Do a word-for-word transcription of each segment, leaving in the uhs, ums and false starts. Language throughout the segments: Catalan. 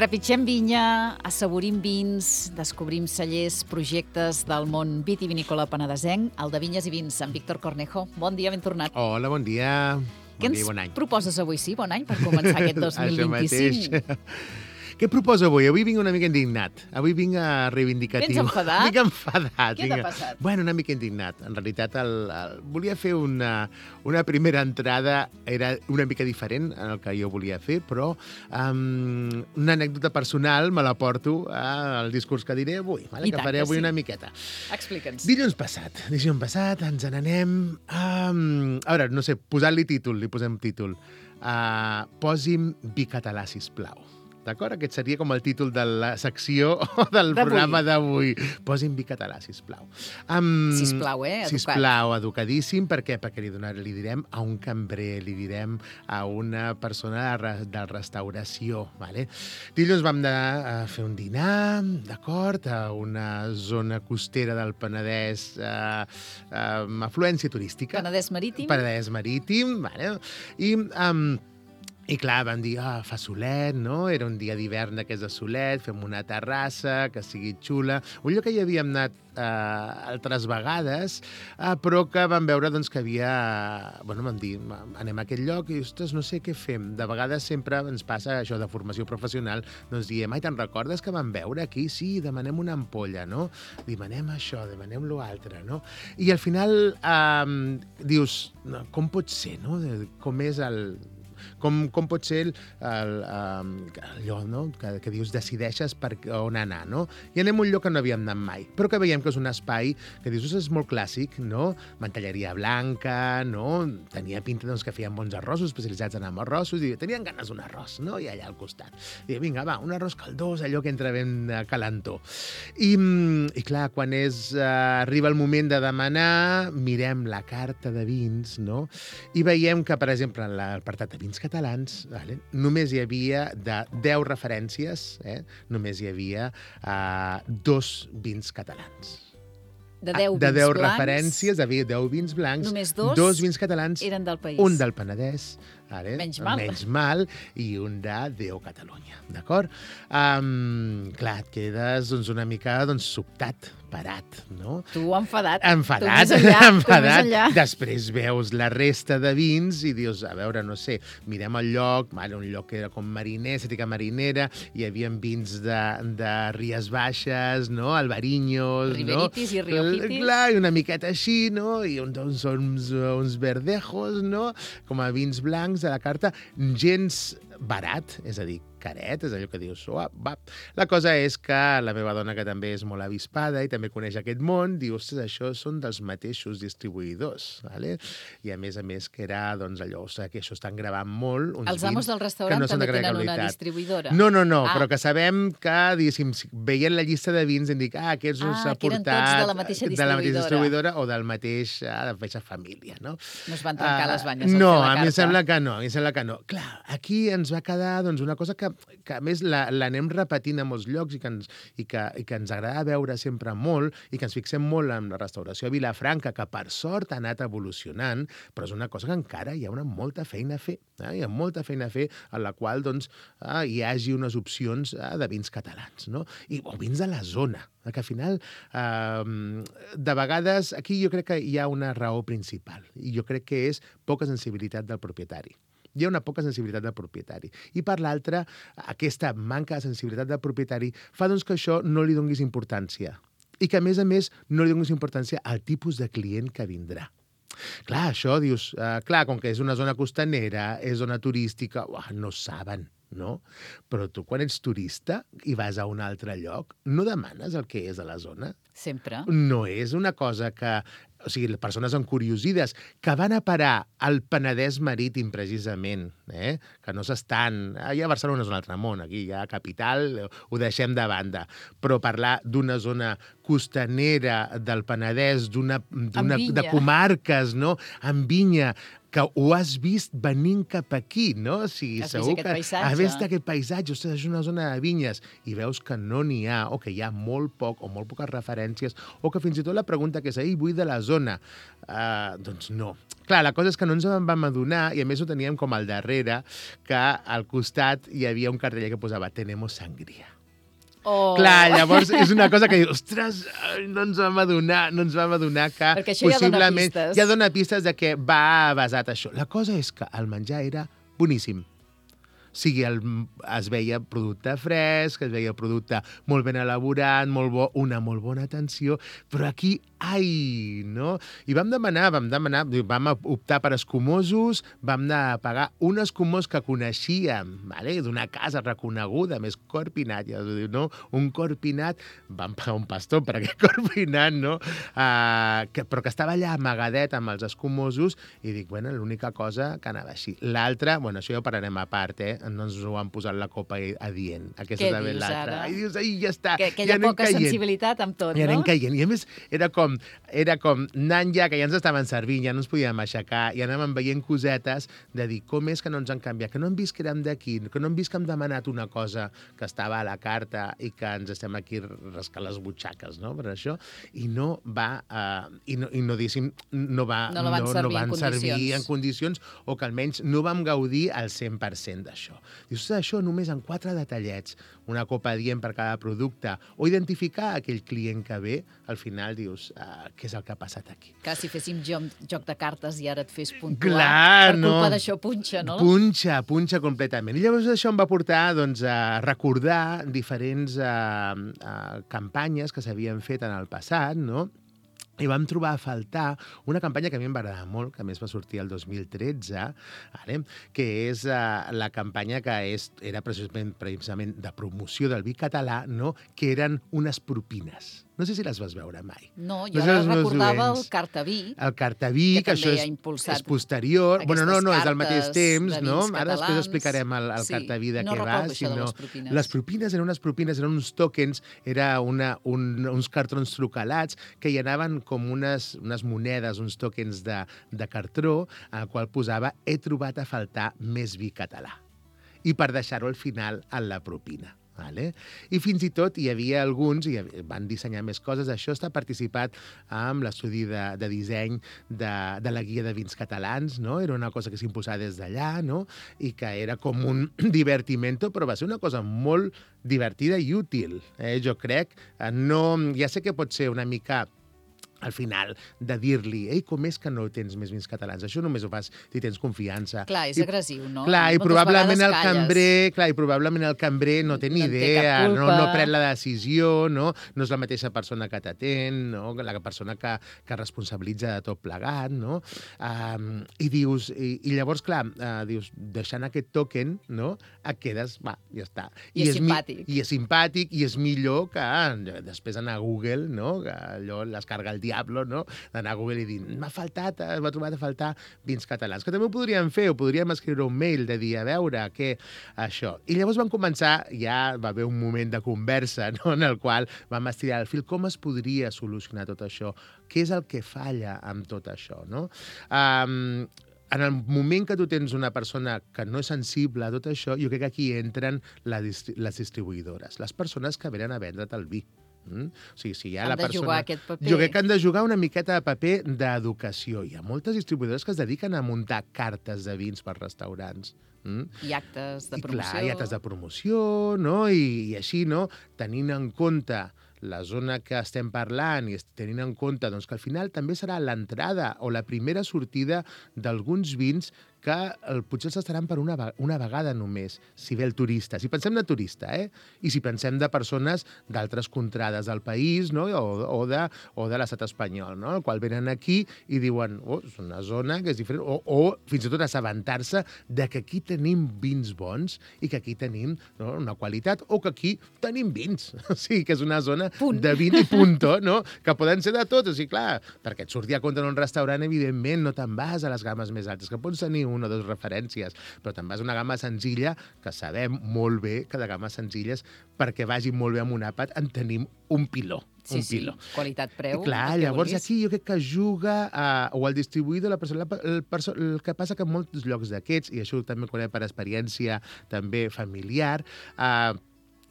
Trepitgem vinya, assaborim vins, descobrim cellers, projectes del món vitivinícola penedesenc, el de Vinyes i Vins, amb Víctor Cornejo. Bon dia, ben tornat. Hola, bon dia. Què Bon ens dia, bon any. proposes avui, sí? Bon any, per començar aquest dos mil vint-i-cinc. Això mateix. Què proposo avui? Avui vinc una mica indignat. Avui vinc a reivindicatiu. Vens enfadat? Vinc enfadat. Què t'ha vinc... passat? Bueno, una mica indignat. En realitat, el, el... volia fer una, una primera entrada, era una mica diferent en el que jo volia fer, però um, una anècdota personal me la porto al discurs que diré avui, vale? I que tant faré que avui sí. una miqueta. Explica'ns. Dilluns passat, dilluns passat, ens n'anem... Um, a veure, no sé, posant-li títol, li posem títol. Uh, posi'm vi català, sisplau. D'acord? Aquest seria com el títol de la secció o del programa d'avui. Posi'm vi català, sisplau. Um, Sisplau, eh? Educat. Sisplau, educadíssim. Per què? Perquè li, donar, li direm a un cambrer, li direm a una persona de, re, de restauració. Vale? Dilluns vam de, a fer un dinar, d'acord, a una zona costera del Penedès eh, amb afluència turística. Penedès marítim. Penedès marítim, vale? I... Um, I clar, vam dir, ah, fa solet, no? Era un dia d'hivern d'aquests de solet, fem una terrassa, que sigui xula. Un lloc que hi havíem anat eh, altres vegades, eh, però que vam veure doncs, que havia... Bueno, vam dir, anem a aquest lloc i, ostres, no sé què fem. De vegades sempre ens passa això de formació professional, doncs diem, ai, te'n recordes que vam veure aquí? Sí, demanem una ampolla, no? Demanem això, demanem l'altre, no? I al final eh, dius, no, com pot ser, no? Com és el... Com, com pot ser el, el, allò, no? que, que dius, decideixes per on anar, no? I anem a un lloc que no havíem anat mai, però que veiem que és un espai que dius, és molt clàssic, no? Mantelleria blanca, no? Tenia pinta doncs, que feien bons arrossos, especialitzats en arrossos, i tenien ganes d'un arròs, no? I allà al costat. I vinga, va, un arròs caldós, allò que entra ben calentó. I, i clar, quan és, uh, arriba el moment de demanar, mirem la carta de vins, no? I veiem que, per exemple, en l'apartat de vins catalans, vale? Només hi havia de deu referències, eh? només hi havia uh, dos vins catalans. De deu de vins deu blancs, referències, havia deu vins blancs, només dos, dos vins catalans, eren del país. un del Penedès, vale? Menys mal. Menys mal, i un de Déu Catalunya, d'acord? Um, clar, et quedes doncs, una mica doncs, sobtat, parat, no? Tu enfadat. Enfadat, tu més enllà, enfadat. Tu més enllà. Després veus la resta de vins i dius, a veure, no sé, mirem el lloc, vale, un lloc que era com mariner, estètica marinera, hi havia vins de, de Ries Baixes, no? Albariños, Riberitis no? i Riojitis. Clar, i una miqueta així, no? I uns, uns, uns, uns verdejos, no? Com a vins blancs de la carta, gens barat, és a dir, caret, és allò que dius, oh, va. La cosa és que la meva dona, que també és molt avispada i també coneix aquest món, diu, ostres, això són dels mateixos distribuïdors, vale? I a més a més que era, doncs, allò, o sigui, que això estan gravant molt, uns Els amos vins del restaurant no també de gran tenen una qualitat. distribuïdora. No, no, no, ah. però que sabem que, diguéssim, veient la llista de vins, em dic, ah, aquests ah, s'ha que eren portat tots de la mateixa distribuïdora. de la mateixa distribuïdora o del mateix, ah, de la mateixa família, no? No es van trencar uh, les banyes no, al fer la carta. a mi em sembla que no, a mi em sembla que no. Clar, aquí ens va quedar doncs, una cosa que, que a més l'anem repetint a molts llocs i que, ens, i, que, i que ens agrada veure sempre molt i que ens fixem molt en la restauració a Vilafranca, que per sort ha anat evolucionant, però és una cosa que encara hi ha una molta feina a fer. Eh? Hi ha molta feina a fer en la qual doncs, eh, hi hagi unes opcions eh, de vins catalans, no? I, o vins de la zona, que al final, eh, de vegades, aquí jo crec que hi ha una raó principal, i jo crec que és poca sensibilitat del propietari. Hi ha una poca sensibilitat del propietari. I per l'altra, aquesta manca de sensibilitat del propietari fa doncs, que això no li donguis importància. I que, a més a més, no li donguis importància al tipus de client que vindrà. Clar, això dius, eh, clar, com que és una zona costanera, és zona turística, uah, no saben, no? Però tu, quan ets turista i vas a un altre lloc, no demanes el que és a la zona. Sempre. No és una cosa que... O sigui, les persones encuriosides que van a parar al Penedès marítim, precisament, eh? que no s'estan... Allà a Barcelona és un altre món, aquí ja a capital ho deixem de banda. Però parlar d'una zona costanera del Penedès, d'una, d'una, de comarques, no? Amb vinya, que ho has vist venint cap aquí, no? O sigui, Has vist segur aquest que paisatge. has vist aquest paisatge, ostres, és una zona de vinyes, i veus que no n'hi ha, o que hi ha molt poc, o molt poques referències, o que fins i tot la pregunta que és, ei, vull de la zona. Uh, doncs no. Clar, la cosa és que no ens en vam adonar, i a més ho teníem com al darrere, que al costat hi havia un cartell que posava «Tenemos sangria». Oh. Clar, llavors és una cosa que dius, ostres, no ens vam adonar, no ens vam adonar que Perquè això ja dona possiblement pistes. ja dona pistes de que va basat això. La cosa és que el menjar era boníssim. O sigui, el, es veia producte fresc, es veia producte molt ben elaborat, molt bo, una molt bona atenció, però aquí, ai, no? I vam demanar, vam demanar, vam optar per escumosos, vam anar a pagar un escumós que coneixíem, vale? D'una casa reconeguda, més corpinat, ja us diu, no? Un corpinat, vam pagar un pastor per aquest corpinat, no? Uh, que, però que estava allà amagadet amb els escumosos, i dic, bueno, l'única cosa que anava així. L'altra, bueno, això ja ho parlarem a part, eh? No ens ho han posat la copa adient. Aquesta Què també dius, l'altra. ara? I dius, ai, ja està. Que, que hi ja ha anem poca caient. sensibilitat amb tot, I anem no? caient. I a més, era com, era com anant ja, que ja ens estaven servint, ja no ens podíem aixecar, i anàvem veient cosetes de dir com és que no ens han canviat, que no hem vist que érem d'aquí, que no hem vist que hem demanat una cosa que estava a la carta i que ens estem aquí rascant les butxaques, no?, per això. I no va, uh, i no, i no diguéssim, no va, No la van no, servir no van en servir condicions. en condicions, o que almenys no vam gaudir al cent per cent d'això. Dius, això només en quatre detallets, una copa adient per cada producte, o identificar aquell client que ve, al final dius, uh, què és el que ha passat aquí? Que si féssim joc, joc de cartes i ara et fes puntuar, Clar, per no. culpa d'això punxa, no? Punxa, punxa completament. I llavors això em va portar doncs, a recordar diferents uh, uh, campanyes que s'havien fet en el passat, no?, i vam trobar a faltar una campanya que a mi em va agradar molt, que a més va sortir el dos mil tretze, ara, que és uh, la campanya que és, era precisament, precisament de promoció del vi català, no?, que eren unes propines. No sé si les vas veure mai. No, No jo sé ara els meus recordava el oients. cartaví, El cartaví, que que, això també és, ha impulsat és posterior. Bueno, no, no, és al mateix cartes temps, de no? vins Ara després catalans. explicarem el, el Sí, cartaví de no què va. recordo això de sinó- les propines. Les propines eren unes propines, eren uns tokens, era una, un, uns cartrons trucalats que hi anaven com unes, unes monedes, uns tokens de, de cartró, al qual posava he trobat a faltar més vi català. I per deixar-ho al final en la propina. Vale? I fins i tot hi havia alguns, i van dissenyar més coses, això està participat amb l'estudi de, de disseny de, de la guia de vins catalans, no? Era una cosa que s'impulsava des d'allà, no?, i que era com un divertimento, però va ser una cosa molt divertida i útil, eh? Jo crec. No, ja sé que pot ser una mica al final, de dir-li, ei, com és que no tens més vins catalans? Això només ho fas si tens confiança. Clar, és I, agressiu, no? Clar, i Moltes probablement el vegades calles. cambrer, clar, i probablement el cambrer no té ni No en té idea, cap no, culpa. no pren la decisió, no? No és la mateixa persona que t'atén, no? La persona que, que responsabilitza de tot plegat, no? Um, I dius, i, i llavors, clar, uh, dius, deixant aquest token, no?, et quedes, va, ja està. I és mi- simpàtic. I és simpàtic, i és millor que eh, després anar a Google, no?, que allò les carga el diablo, no?, d'anar a Google i dir, m'ha faltat, eh, m'ha trobat a faltar vins catalans. Que també ho podríem fer, o podríem escriure un mail de dir, a veure, què, això. I llavors vam començar, ja va haver un moment de conversa, no?, en el qual vam estirar el fil, com es podria solucionar tot això? Què és el que falla amb tot això, no? Um, en el moment que tu tens una persona que no és sensible a tot això, jo crec que aquí entren la distri les distribuïdores, les persones que venen a vendre't el vi. Mm? O sigui, si hi ha Han la de persona... jugar aquest paper. Jo crec que han de jugar una miqueta de paper d'educació. Hi ha moltes distribuïdores que es dediquen a muntar cartes de vins per restaurants. Mm? I actes de I promoció. clar, hi ha actes de promoció, no? I, i així, no? Tenint en compte la zona que estem parlant i tenint en compte doncs, que al final també serà l'entrada o la primera sortida d'alguns vins que el, potser els estaran per una, una vegada només, si ve el turista. Si pensem de turista, eh? I si pensem de persones d'altres contrades del país, no?, o, o de, o de l'estat espanyol, no?, el qual venen aquí i diuen, oh, és una zona que és diferent, o, o fins i tot assabentar-se de que aquí tenim vins bons i que aquí tenim, no?, una qualitat, o que aquí tenim vins. O sigui, que és una zona Punt. de vin i punto, no?, que poden ser de tot. O sigui, clar, perquè et surti a compte en un restaurant, evidentment, no te'n vas a les games més altes, que pots tenir una o dues referències, però te'n vas a una gamma senzilla, que sabem molt bé que de games senzilles, perquè vagi molt bé amb un àpat, en tenim un piló. Sí, un sí, piló. qualitat-preu. I clar, llavors aquí jo crec que juga, a, o el distribuïdor, la persona, el, perso el que passa que en molts llocs d'aquests, i això també ho conec per experiència també familiar, eh,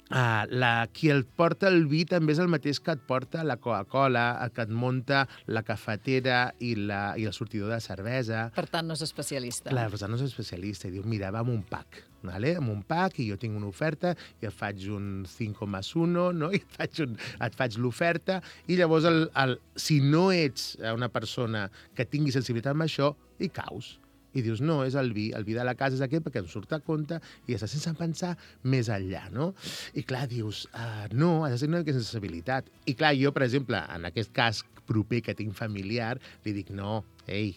Uh, la, qui el porta el vi també és el mateix que et porta la Coca-Cola, que et munta la cafetera i, la, i el sortidor de cervesa. Per tant, no és especialista. Clar, per tant, no és especialista. I diu, mira, va amb un pack, vale? amb un pack, i jo tinc una oferta, i et faig un cinc més un, no? I et faig, un, et faig l'oferta, i llavors, el, el, si no ets una persona que tingui sensibilitat amb això, hi caus. I dius, no, és el vi, el vi de la casa és aquest perquè em surt a compte i ja està sense pensar més enllà, no? I clar, dius, uh, no, ha de ser una sensibilitat. I clar, jo, per exemple, en aquest cas proper que tinc familiar, li dic, no, ei,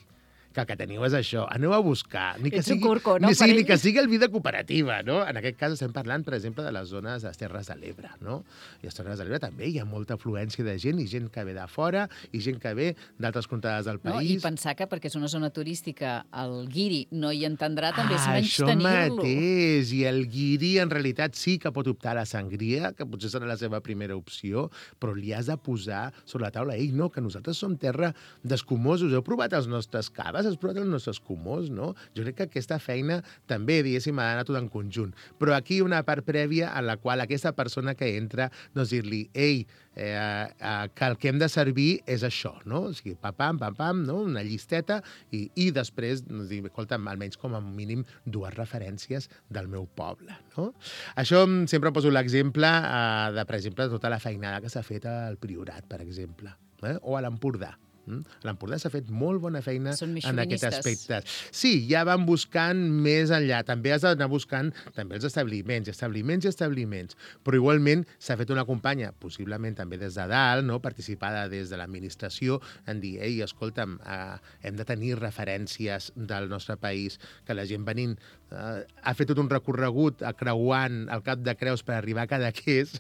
que el que teniu és això, aneu a buscar. Ni que Ets un sigui, curco, no, ni, sí, per ni que ell? sigui el vi de cooperativa, no? En aquest cas estem parlant, per exemple, de les zones de les Terres de l'Ebre, no? I a les Terres de l'Ebre també hi ha molta afluència de gent, i gent que ve de fora, i gent que ve d'altres contrades del No? país. I pensar que perquè és una zona turística el guiri no hi entendrà també és Ah, menys això tenir-lo. mateix. I el guiri, en realitat, sí que pot optar a la sangria, que potser serà la seva primera opció, però li has de posar sobre la taula. Ei, no, que nosaltres som terra d'escumosos. Heu provat els nostres caves? Has provat els nostres escumós, no? Jo crec que aquesta feina també, diguéssim, ha d'anar tot en conjunt. Però aquí una part prèvia en la qual aquesta persona que entra, doncs dir-li, ei, eh, eh, que el que hem de servir és això, no? O sigui, pam-pam, pam-pam, no? Una llisteta, i, i després, doncs, dir, escolta'm, almenys com a mínim dues referències del meu poble, no? Això sempre poso l'exemple eh, de, per exemple, tota la feinada que s'ha fet al Priorat, per exemple, eh? O a l'Empordà. A l'Empordà s'ha fet molt bona feina en aquest aspecte. Sí, ja van buscant més enllà. També has d'anar buscant també els establiments, establiments i establiments. Però igualment s'ha fet una campanya, possiblement també des de dalt, no? Participada des de l'administració, en dir, ei, escolta'm, eh, hem de tenir referències del nostre país, que la gent venint eh, ha fet tot un recorregut creuant el Cap de Creus per arribar a Cadaqués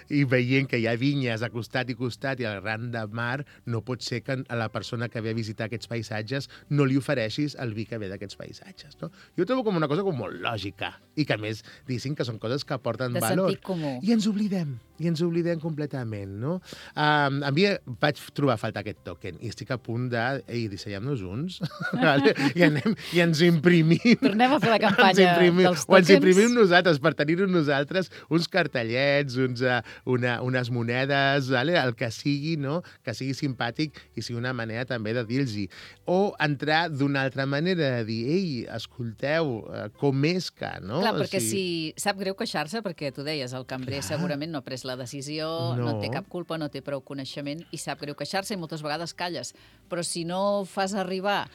i veient que hi ha vinyes a costat i costat i al ran de mar, no pot ser que a la persona que ve a visitar aquests paisatges no li ofereixis el vi que ve d'aquests paisatges, no? Jo ho trobo com una cosa com molt lògica i que, a més, diguéssim que són coses que aporten de valor. sentit comú. I ens oblidem, i ens oblidem completament, no? Um, a mi vaig trobar a faltar aquest token i estic a punt de, ei, dissenyem-nos uns, vale? I, anem, i ens imprimim. Tornem a fer la campanya ens imprimim, dels o ens tòquens. imprimim nosaltres, per tenir-ho nosaltres, uns cartellets, uns, uh, una, unes monedes, vale? El que sigui, no? Que sigui simpàtic i sigui una manera també de dir-los-hi. O entrar d'una altra manera, de dir, ei, escolteu, uh, com és que, no? Clar, perquè o sigui... si sap greu queixar-se, perquè tu deies, el cambrer Clar. segurament no ha pres la decisió, no. No. no té cap culpa, no té prou coneixement, i sap greu queixar-se i moltes vegades calles. Però si no fas arribar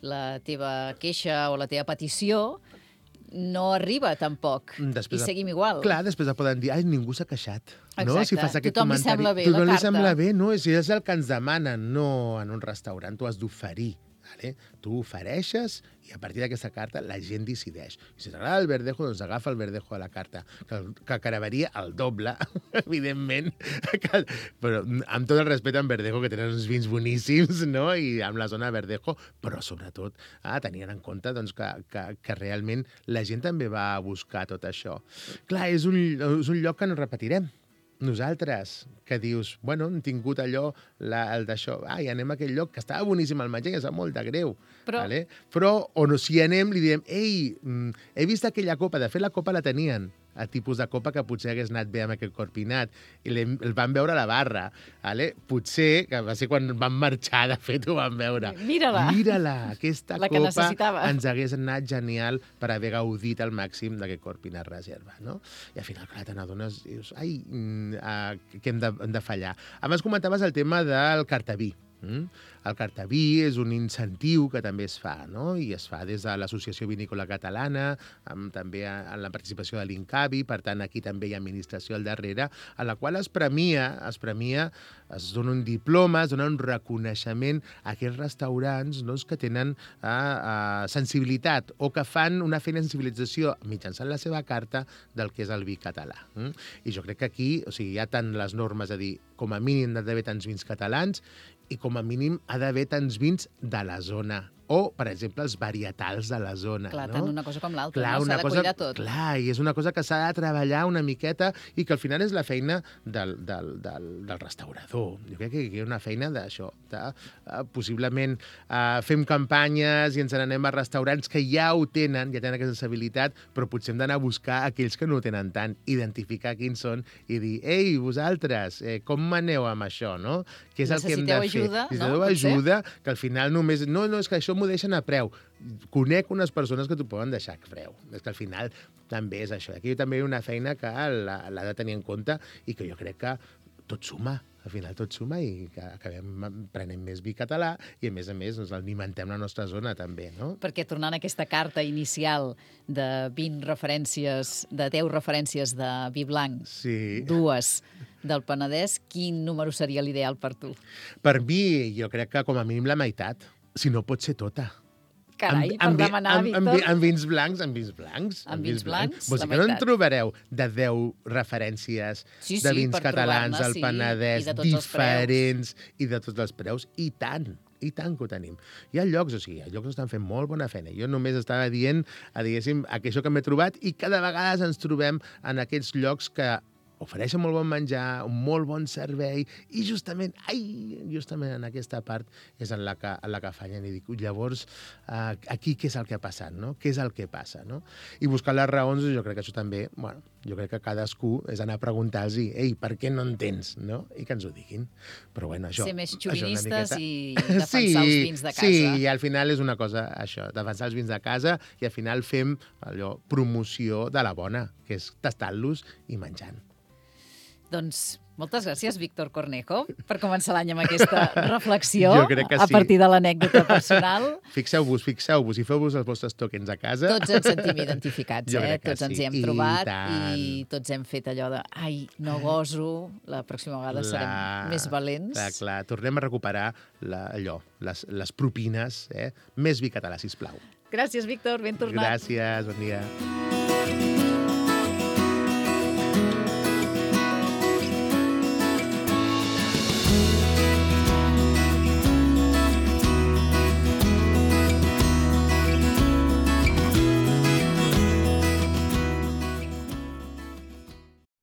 la teva queixa o la teva petició, no arriba tampoc. Després I de- seguim igual. Clar, després et poden dir, ai, ningú s'ha queixat. No? Exacte. Si fas aquest Tothom li comentari. sembla bé Tothom la li carta. sembla bé, no? Si és el que ens demanen, no en un restaurant, tu has d'oferir. Vale? Tu ofereixes i a partir d'aquesta carta la gent decideix. I si t'agrada el verdejo, doncs agafa el verdejo de la carta, que, que caraveria el doble, evidentment. Que, però amb tot el respecte en verdejo, que tenen uns vins boníssims, no? I amb la zona de verdejo, però sobretot ah, tenien en compte doncs, que, que, que realment la gent també va a buscar tot això. Clar, és un, és un lloc que no repetirem. Nosaltres, que dius, bueno, hem tingut allò, la, el d'això, ai, anem a aquell lloc, que estava boníssim el menjar, i em sap molt de greu. Però- Vale? Però, o no, si anem, li diem, ei, mm, he vist aquella copa, de fet la copa la tenien, el tipus de copa que potser hagués anat bé amb aquest corpinat, i l'hem- el van veure a la barra. Vale? Potser, que va ser quan van marxar, de fet, ho van veure. Mira-la. Mira-la, aquesta La que copa necessitava. ens hagués anat genial per haver gaudit al màxim d'aquest corpinat reserva, no? I al final, clar, te n'adones, dius, ai, mm, uh, que hem de, hem de fallar. Abans comentaves el tema del cartaví. Mm? El cartaví és un incentiu que també es fa, no? I es fa des de l'Associació Vinícola Catalana, amb, també en la participació de l'Incavi, per tant, aquí també hi ha administració al darrere, a la qual es premia, es premia, es dona un diploma, es dona un reconeixement a aquests restaurants, no? Que tenen eh, eh, sensibilitat o que fan una feina de sensibilització mitjançant la seva carta del que és el vi català. Mm? I jo crec que aquí, o sigui, hi ha tant les normes a dir, com a mínim ha d'haver tants vins catalans i com a mínim ha d'haver tants vins de la zona o, per exemple, els varietals de la zona. Clar, no? tant una cosa com l'altra, Clar, no? una S'ha de cosa, cuidar tot. clar, i és una cosa que s'ha de treballar una miqueta i que al final és la feina del, del, del, del restaurador. Jo crec que hi ha una feina d'això, de, uh, possiblement uh, fem campanyes i ens n'anem a restaurants que ja ho tenen, ja tenen aquesta habilitat, però potser hem d'anar a buscar aquells que no ho tenen tant, identificar quins són i dir, ei, vosaltres, eh, com maneu amb això, no? Què és el que hem de fer? Ajuda, Necessiteu no? ajuda, que al final només... No, no, és que això m'ho deixen a preu. Conec unes persones que t'ho poden deixar a preu. És que al final també és això. Aquí també hi ha una feina que l'ha de tenir en compte i que jo crec que tot suma. Al final tot suma i que acabem prenent més vi català i, a més a més, ens alimentem la nostra zona també, no? Perquè tornant a aquesta carta inicial de vint referències, de deu referències de vi blanc, sí. dues del Penedès, quin número seria l'ideal per tu? Per mi, jo crec que com a mínim la meitat, si no pot ser tota. Carai, amb, per demanar, amb, Víctor. Amb, amb vins blancs, amb vins blancs. Amb vins blancs, Vols la dir que no en meitat. trobareu de deu referències Sí, sí, de vins per catalans trobar-ne, al sí, Penedès, i de tots els diferents, i de tots els preus, i tant, i tant que ho tenim. Hi ha llocs, o sigui, hi ha llocs que estan fent molt bona feina. Jo només estava dient, a, diguéssim, això que m'he trobat, i cada vegada ens trobem en aquests llocs que ofereixen molt bon menjar, un molt bon servei, i justament, ai, justament en aquesta part és en la que, en la que fallen. I dic, llavors, eh, aquí què és el que ha passat, no? Què és el que passa, no? I buscar les raons, jo crec que això també, bueno, jo crec que cadascú és anar a preguntar-los, ei, per què no en tens, no? I que ens ho diguin. Però bueno, això... Ser més això xovinistes miqueta... i defensar sí, els vins de casa. Sí, i al final és una cosa, això, defensar els vins de casa, i al final fem allò, promoció de la bona, que és tastant-los i menjant. Doncs moltes gràcies, Víctor Cornejo, per començar l'any amb aquesta reflexió Jo crec que a sí. partir de l'anècdota personal. Fixeu-vos, fixeu-vos, i feu-vos els vostres tokens a casa. Tots ens sentim identificats, Jo eh? crec que Tots ens sí. hi hem I trobat tant. i tots hem fet allò de ai, no goso, la pròxima vegada La- serem més valents. Clar, clar. Tornem a recuperar la, allò, les, les propines, eh? Més vi català, sisplau. Gràcies, Víctor, ben tornat. Gràcies, bon dia.